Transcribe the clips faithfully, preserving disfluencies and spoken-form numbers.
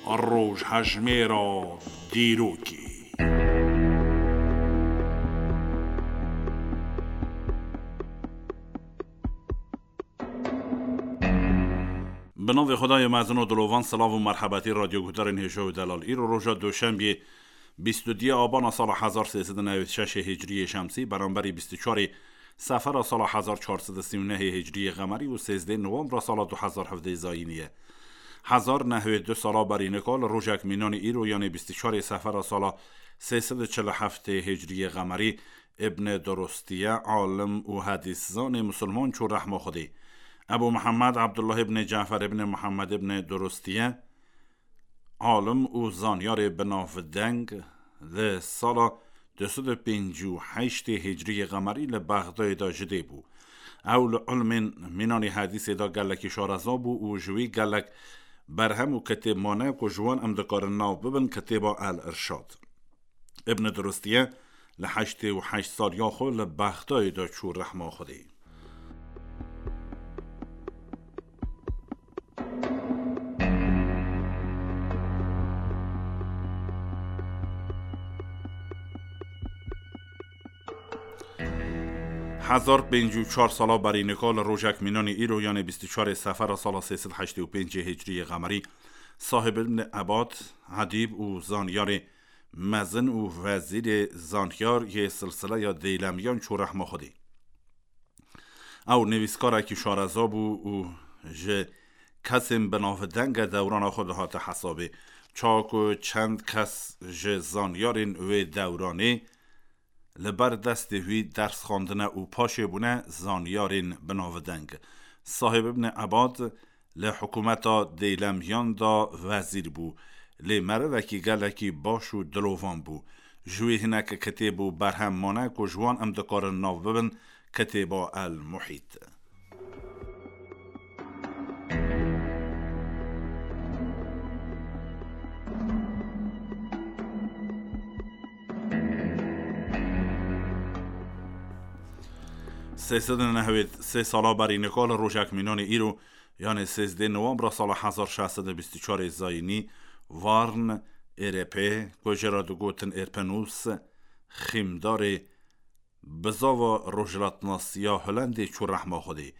Rojhejmêra dîrokê. Bi navê Xwedayê mezin û dilovan, silav û merhebetî radyoguhdarên hêja û delal. Îro roja Doşembiyê, bîst û duyê Abana sala hezar sê sed û newêd û şeş Hicriyê Şemsî, beramberî bîst û çarê Sefera sala hezar çar sed û sî û nehê Hicriyê Qemerî û sêzdeh Novanbra sala du hezar hevdeh Zayînî ye. Hezar nehwê du sala berî nika li rojek mînanî îro, yanê bîst û çarê Sefera sala sê sed û çil û heftê Hicriyê Qemerî, Îbn Durûstiye, alim û hedîszanê misilman çû rehma Xwedê. Ebû Mihemed Ebdullah îbn Cafer îbn Mihemed îbn Durûstiye, alim û zanyarê binavdeng, li sala du sed û pêncî û heştê Hicriyê Qemerî li Bexdayê de ji dê bû. Ew li ilmên mînanî hedîsê de gelekî şareza bû û ji wî gelek berhem û kitêb mane ku ji wan em dikarin nav bibin, kitêba El Irşad. Îbn Durûstiye li heştê û heşt saliya xwe li Bexdayê de çû rehma Xwedê. Hezar pêncî û çar sala berî nika li rojek mînanî îro, yanê bîst û çarê Sefera sala sê sed heştê û pêncê Hicriyê Qemerî, Sahib îbn Ebad, edîb û zanyarê mezin û wezîrê zanyar yê silsileya Deylemiyan çû rehma Xwedê. Ew nivîskarekî şareza bû û ji kesên binavdenge dewrana xwe dihate hesabê. Çawa ku çend kes ji zanyarên wê dewranê li ber destê wî ders xwendine û paşê bûne zanyarên binavdeng. Sahib îbn Ebad li hikûmeta Deylemiyan de wezîr bû, lê merivekî gelekî baş û dilovan bû. Ji wî hinek kitêb û berhem mane ku ji wan em dikarin nav bibin, kitêba El Muhît. Sê sed û nehwêd sê sala berî nika li rojek mînanê îro, yanê sêzdeh Novanbra sala hezar şeş sed û bîst û çarê Zayînî, Varn, Êrepê, ku jê re digotin Êrpenûs, xîmdarê bizava rojhilatnasiya Holendê çû rehma Xwedê.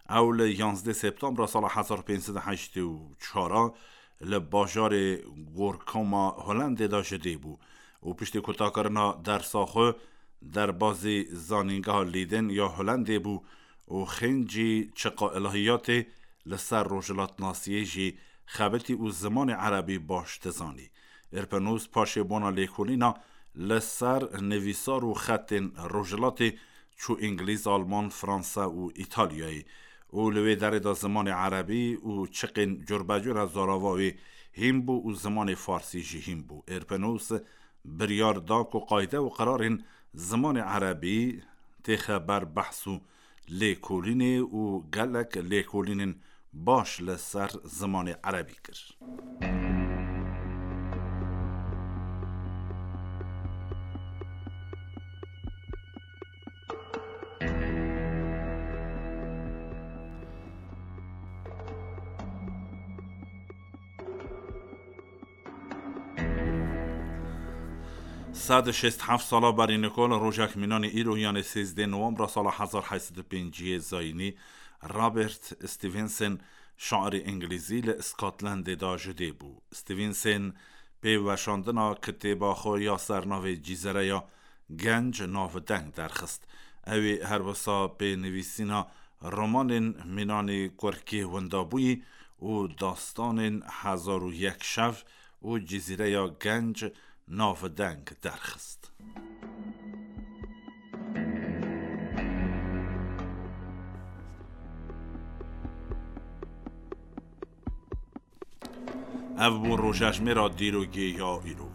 Ew li yanzdeh Septembra sala hezar pênc sed û heştê û çar a li bajarê Gorkoma Holendê de ji dê bû û piştî kutakirina dersa xwe derbazî Zanîngeha Lîdên ya Holendê bû û xêncî çiqa ilahiyatê li ser rojhilatnasiyê jî xebitî û zimanê erebî baş dizanî. Îrpenûs paşê bona lêkolîna li ser nivîsar û xetên rojhilatê çû Îngilîz, Alman, Fransa û Îtalyayê û li wê derê de zimanê erebî û çiqên curbecûra zarava wê hîn bû û zimanê farsî jî hîn bû. Îrpenûs biryar da ku qayde û qirarên zimanê erebî têxe ber behs û lêkolînê û gelek lêkolînên baş li ser zimanê erebî kir. Sed û şêst heft sala berî nika li rojek mînanê îro, yanê sêzdeh Novanbra sala hezar heyt sed û pêncî Zayînî, Robert Stevenson, şairê îngilîzî, li Scotlandê de ji dê bû. Stevenson pê weşandina kitêba xwe ya sernavê Cîzereya Genc navdeng derxist. Ew ê her wisa pê nivîsîna romanên mînanê kurkê windabûyî û dastanên Hezar û yek şev û Cizîreya Genc navdeng derxist. Ev bû rojejmêra dîrokê ya îro.